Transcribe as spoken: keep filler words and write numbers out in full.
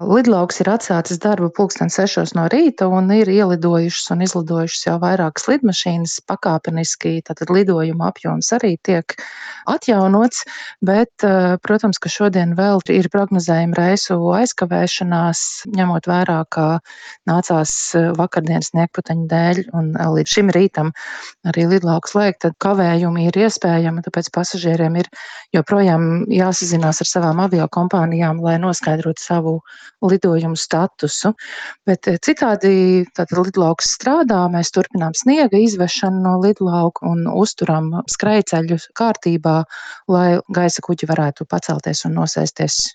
Lidlauks ir atsācis darbu pulksten sešos no rīta un ir ielidojušas un izlidojušas jau vairākas lidmašīnas. Pakāpeniski tātad lidojuma apjoms arī tiek atjaunots, bet, eh, protams, ka šodien vēl ir prognozējama reisu aizkavēšanās, ņemot vērā, ka nācās eh, vakardienas sniegputeņu dēļ un eh, līdz šim rītam arī lidlauku slēgt, tad kavējumi ir iespējami, tāpēc pasažieriem ir joprojām jāsazinās ar savām aviokompānijām, lai noskaidrotu savu lidojumu statusu. Bet eh, citādi tātad lidlauks strādā, mēs turpinām sniega izvešanu no lidlauka un uzturam skrejceļus kārtībā, lai gaisa kuģi varētu pacelties un nosēsties